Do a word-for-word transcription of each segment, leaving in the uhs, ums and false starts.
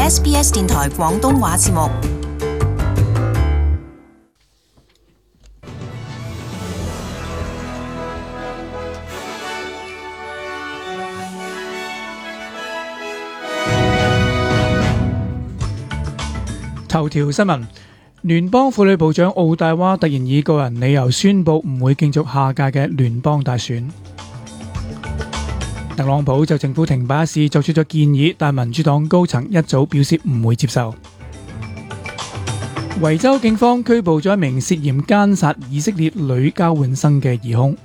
S B S 電台廣東話節目。頭條新聞：聯邦婦女部長奧黛娃突然以個人理由宣布唔會競逐下屆嘅聯邦大選。特朗普就政府停擺一事作出咗建議，但民主黨高層一早表示唔會接受。維州警方拘捕咗一名涉嫌姦殺以色列女交換生嘅疑兇。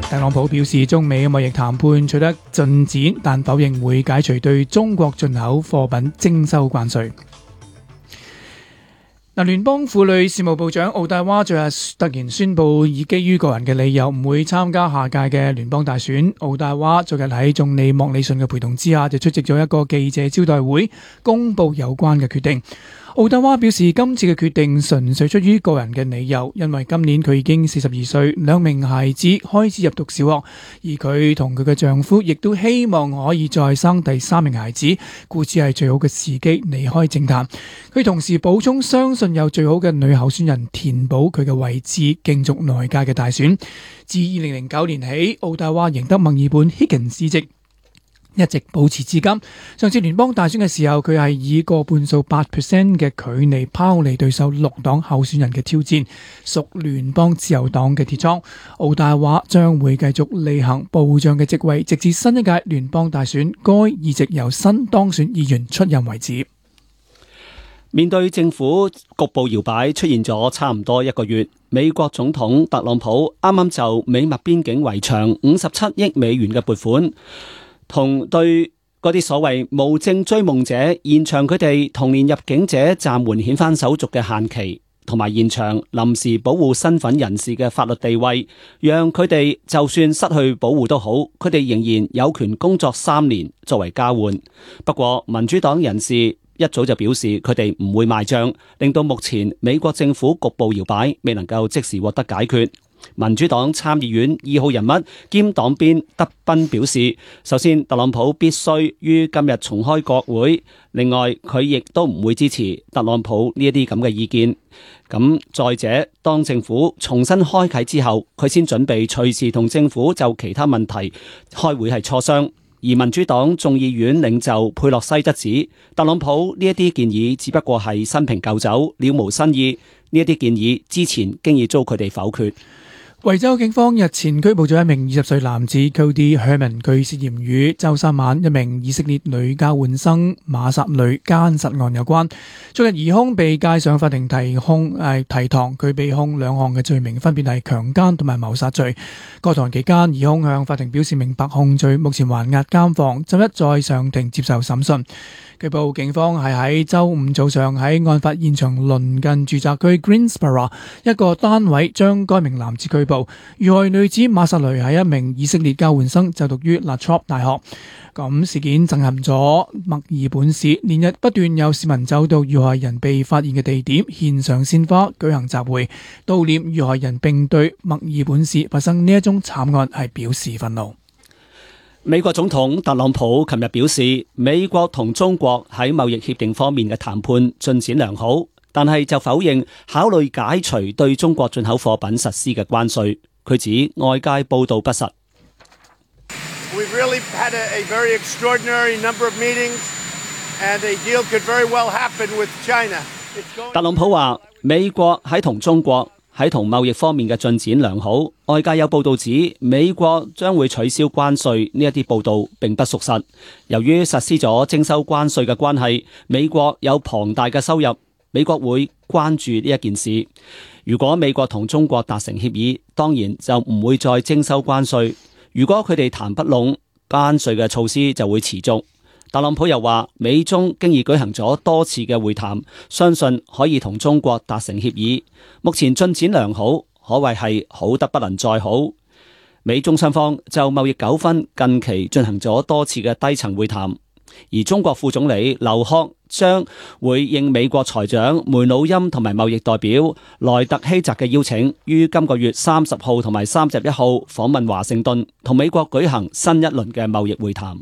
特朗普表示中美貿易談判取得進展，但否認會解除對中國進口貨品徵收關稅。嗱，聯邦婦女事務部長奧黛娃昨日突然宣布，以基於個人嘅理由唔會參加下屆嘅聯邦大選。奧黛娃昨日喺總理莫里遜嘅陪同之下，就出席咗一個記者招待會，公布有關嘅決定。奧黛娃表示，今次嘅決定純粹出於個人嘅理由，因為今年佢已經四十二歲，兩名孩子開始入讀小學，而佢同佢嘅丈夫亦都希望可以再生第三名孩子，故此係最好嘅時機離開政壇。佢同時補充，相信有最好嘅女候選人填補佢嘅位置，競逐來屆嘅大選。自二零零九年起，奧黛娃贏得墨爾本 Higgins 議席，一直保持至今。上次聯邦大選嘅時候，佢係以個半數八 percent 嘅距離拋離對手綠黨候選人嘅挑戰，屬聯邦自由黨嘅鐵倉。奧黛娃將會繼續履行部長嘅職位，直至新一屆聯邦大選該議席由新當選議員出任為止。面對政府局部搖擺出現咗差唔多一個月，美國總統特朗普啱啱就美墨邊境圍牆五十七億美元嘅撥款，同對嗰啲所謂無證追夢者延長佢哋同年入境者暫緩遣返手續嘅限期，同埋延長臨時保護身份人士嘅法律地位，讓佢哋就算失去保護都好，佢哋仍然有權工作三年作為交換。不過民主黨人士一早就表示佢哋唔會賣賬，令到目前美國政府局部搖擺未能夠即時獲得解決。民主黨參議院二號人物兼黨鞭德賓表示，首先特朗普必須於今日重開國會，另外佢亦都唔會支持特朗普呢一啲咁嘅意見。咁再者，當政府重新開啟之後，佢先準備隨時同政府就其他問題開會係磋商。而民主黨眾議院領袖佩洛西則指，特朗普呢一啲建議只不過係新瓶舊酒，了無新意。呢一啲建議之前經已遭佢哋否決。維州警方日前拘捕咗一名二十歲男子 Cody Herman， 佢涉嫌與周三晚一名以色列女交換生馬薩女姦殺案有關。昨日疑兇被介上法庭提控，誒提堂，佢被控兩項嘅罪名，分別係強姦同埋謀殺罪。過堂期間，疑兇向法庭表示明白控罪，目前還押監房，周一再上庭接受審訊。據報警方係喺周五早上喺案發現場鄰近住宅區 Greensboro 一個單位將該名男子拘捕。遇害女子馬薩雷係一名以色列交換生，就讀於 La Trobe 大學。咁事件震撼咗墨爾本市，連日不斷有市民走到遇害人被發現嘅地點，獻上鮮花，舉行集會悼念遇害人，並對墨爾本市發生呢一宗慘案係表示憤怒。美國總統特朗普琴日表示，美國同中國喺貿易協定方面嘅談判進展良好，但係就否認考慮解除對中國進口貨品實施嘅關稅。佢指外界報道不實。We've really had a, a very extraordinary number of meetings, and a deal could very well happen with China. 特朗普話，美國喺同中國喺同貿易方面嘅進展良好，外界有報道指美國將會取消關稅，呢一啲報道並不屬實。由於實施咗徵收關稅嘅關係，美國有龐大嘅收入，美國會關注呢一件事。如果美國同中國達成協議，當然就唔會再徵收關稅。如果佢哋談不攏，關稅嘅措施就會持續。特朗普又話，美中經已舉行咗多次嘅會談，相信可以同中國達成協議。目前進展良好，可謂係好得不能再好。美中雙方就貿易糾紛近期進行咗多次嘅低層會談，而中國副總理劉鶴將會應美國財長梅努欽同埋貿易代表萊特希澤嘅邀請，於今個月三十號同埋三十一號訪問華盛頓，同美國舉行新一輪嘅貿易會談。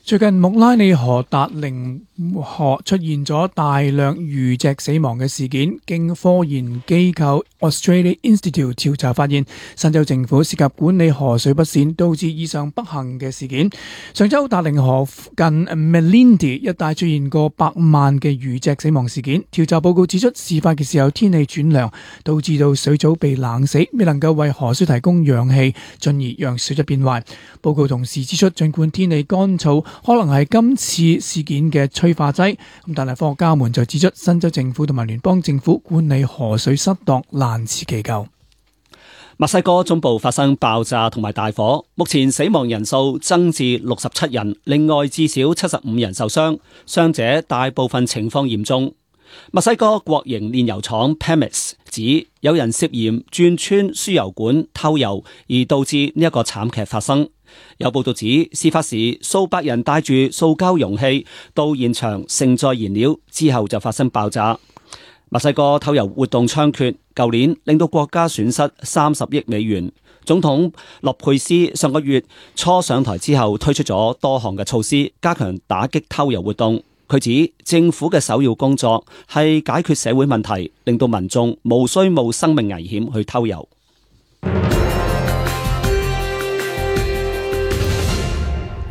最近穆拉尼河達靈河出現咗大量魚隻死亡嘅事件，經科研機構 Australia Institute 調查發現，新州政府涉及管理河水不善，導致以上不幸嘅事件。上週達靈河近 Melindee 一帶出現過百萬嘅魚隻死亡事件。調查報告指出，事發嘅時候天氣轉涼，導致到水藻被冷死，未能夠為河水提供氧氣，進而讓水質變壞。報告同時指出，儘管天氣乾燥可能係今次事件嘅催化劑，咁但係科學家們就指出，新州政府同埋聯邦政府管理河水失當，難辭其咎。墨西哥中部發生爆炸同埋大火，目前死亡人數增至六十七人，另外至少七十五人受傷，傷者大部分情況嚴重。墨西哥國營煉油廠 Pemex 指有人涉嫌鑽穿輸油管偷油，而導致呢一個慘劇發生。有報道指，事發時數百人帶住塑膠容器到現場盛載燃料，之後就發生爆炸。墨西哥偷油活動猖獗，舊年令到國家損失三十億美元。總統洛佩斯上個月初上台之後，推出咗多項嘅措施，加強打擊偷油活動。佢指政府嘅首要工作係解決社會問題，令到民眾無需冒生命危險去偷油。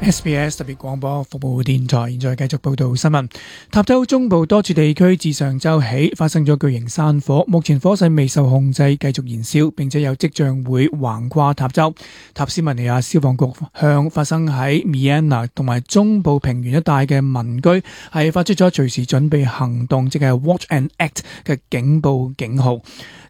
S B S 特別廣播服務電台現在繼續報道新聞。塔州中部多處地區自上週起發生咗巨型山火，目前火勢未受控制，繼續燃燒，並且有跡象會橫跨塔州。塔斯曼尼亞消防局向發生喺 Miana 同埋中部平原一帶嘅民居係發出咗隨時準備行動，即係 Watch and Act 嘅警報警號。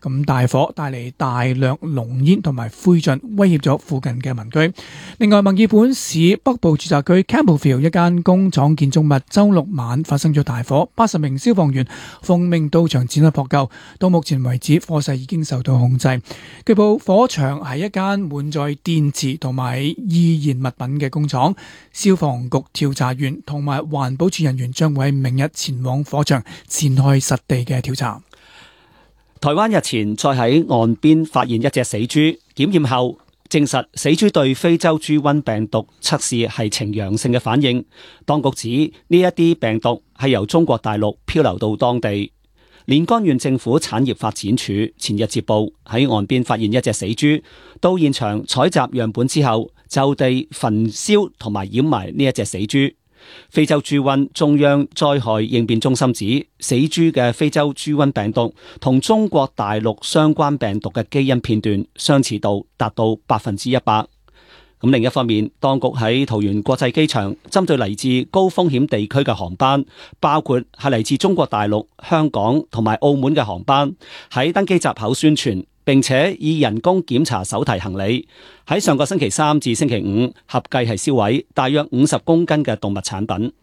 咁大火帶嚟大量濃煙同埋灰燼，威脅咗附近嘅民居。另外，墨爾本市北部住宅區 Campbellfield 一間工廠建築物週六晚發生咗大火，八十名消防員奉命到場展開撲救。到目前為止，火勢已經受到控制。據報火場係一間滿載電池同埋易燃物品嘅工廠。消防局調查員同埋環保署人員將會喺明日前往火場展開實地嘅調查。台灣日前再喺岸邊發現一隻死豬，檢驗後證實死豬對非洲豬瘟病毒測試係呈陽性嘅反應。當局指呢一啲病毒係由中國大陸漂流到當地。連江縣政府產業發展處前日接報喺岸邊發現一隻死豬，到現場採集樣本之後，就地焚燒同埋掩埋呢一隻死豬。非洲豬瘟中央災害應變中心指，死豬嘅非洲豬瘟病毒同中國大陸相關病毒嘅基因片段相似度達到百分之一百。咁另一方面，當局喺桃園國際機場針對嚟自高風險地區嘅航班，包括係嚟自中國大陸、香港同埋澳門嘅航班，喺登機閘口宣傳，並且以人工檢查手提行李。喺上個星期三至星期五，合計係銷毀大約五十公斤嘅動物產品。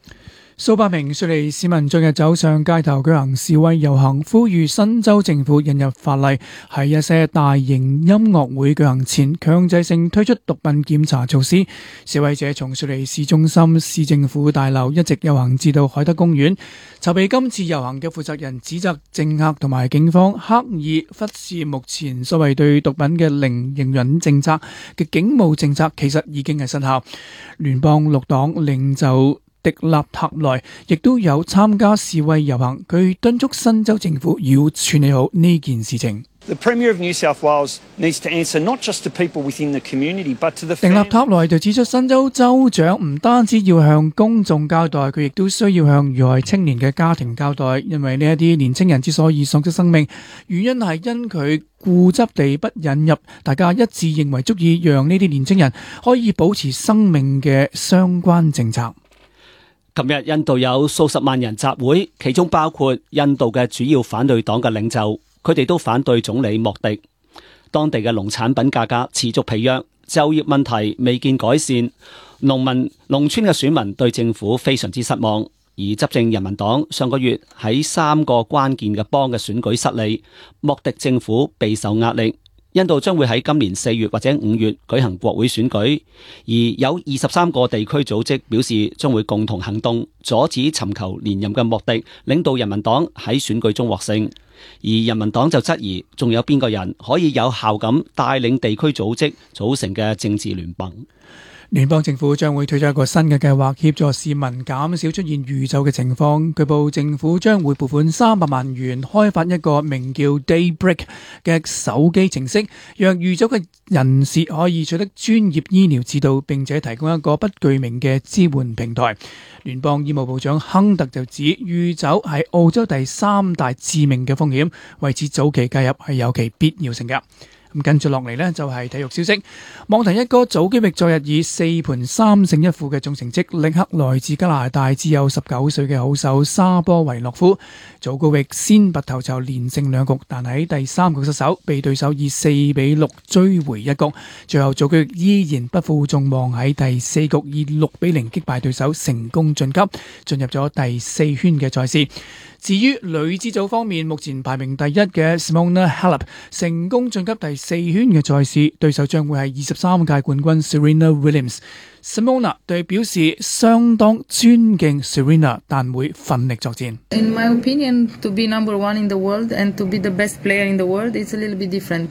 數百名雪梨市民昨日走上街頭舉行示威遊行，呼籲新州政府引入法例，喺一些大型音樂會舉行前強制性推出毒品檢查措施。示威者從雪梨市中心市政府大樓一直遊行至到海德公園。籌備今次遊行嘅負責人指責政客同埋警方刻意忽視目前所謂對毒品嘅零容忍政策嘅警務政策，其實已經係失效。聯邦綠黨領袖迪納塔萊亦都有參加示威遊行，佢敦促新州政府要處理好呢件事情。The Premier of New South Wales needs to answer not just to people within the community, but to the family. 迪納塔萊就指出，新州州長唔單止要向公眾交代，佢亦都需要向遇害青年嘅家庭交代，因為呢一啲年青人之所以喪失生命，原因係因佢固執地不引入大家一致認為足以讓呢啲年青人可以保持生命嘅相關政策。琴日印度有數十萬人集會，其中包括印度嘅主要反對黨嘅領袖，佢哋都反對總理莫迪。當地嘅農產品價格持續疲弱，就業問題未見改善，農民、農村嘅選民對政府非常之失望。而執政人民黨上個月喺三個關鍵嘅邦嘅選舉失利，莫迪政府備受壓力。印度將會喺今年四月或者五月舉行國會選舉，而有二十三個地區組織表示將會共同行動，阻止尋求連任嘅莫迪領導人民黨喺選舉中獲勝。而人民黨就質疑，仲有邊個人可以有效咁帶領地區組織組成嘅政治聯盟？聯邦政府將會推出一個新嘅計劃，協助市民減少出現預走嘅情況。據報政府將會撥款三百萬元開發一個名叫 Daybreak 嘅手機程式，讓預走嘅人士可以取得專業醫療指導，並且提供一個不具名嘅支援平台。聯邦醫務部長亨特就指，預走係澳洲第三大致命嘅風險，為此早期介入係有其必要性嘅。咁跟住落嚟呢，就係體育消息。網壇一哥祖基域昨日以四盤三勝一負嘅總成績，力克來自加拿大只有十九歲嘅好手沙波維諾夫。祖基域先拔頭籌連勝兩局，但喺第三局失手，被對手以四比六追回一局。最後祖基域依然不負眾望，喺第四局以六比零擊敗對手，成功晉級，進入咗第四圈嘅賽事。至於女子組方面，目前排名第一嘅 Simona Halep 成功晉級第四圈嘅賽事，對手將會係二十三屆冠軍 Serena Williams。Simona 對表示相當尊敬 Serena， 但會奮力作戰。In my opinion, to be number one in the world and to be the best player in the world, it's a little bit different.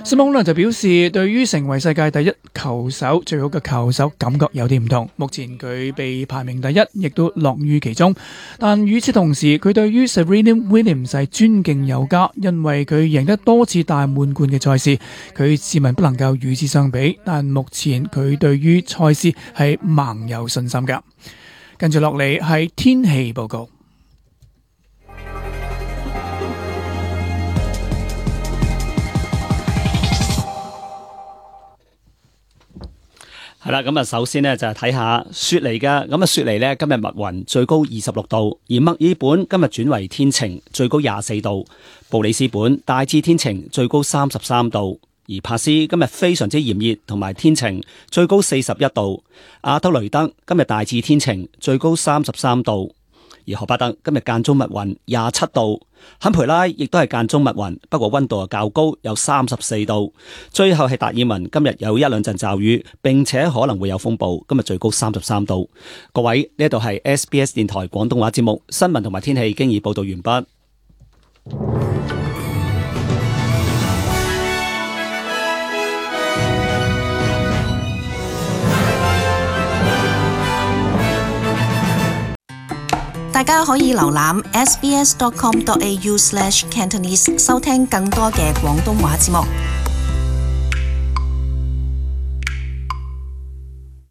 Simona 就表示，對於成為世界第一球手、最好嘅球手，感覺有啲唔同。目前佢被排名第一，亦都樂於其中。但與此同時，佢對於 Serena Williams 係尊敬有加，因為佢贏得多次大滿貫嘅賽事，佢自問不能夠與之相比。但目前佢對於賽事係盲有信心㗎。跟住落嚟係天氣報告。係啦，咁啊，首先呢，就係睇下雪梨嘅，咁啊，雪梨呢，今日密雲，最高二十六度；而墨爾本今日轉為天晴，最高廿四度；布里斯本大致天晴，最高三十三度；而帕斯今日非常之炎熱同埋天晴，最高四十一度；阿德雷德今日大致天晴，最高三十三度；而荷巴特今日間中密雲，廿七度。坎培拉亦都係間中密雲，不過溫度較高，有三十四度。最後係達爾文，今日有一兩陣驟雨，並且可能會有風暴，今日最高三十三度。各位，呢度係 S B S 電台廣東話節目，新聞同埋天氣經已報道完畢。大家可以瀏覽 s b s dot com dot a u slash cantonese 收聽更多嘅廣東話節目。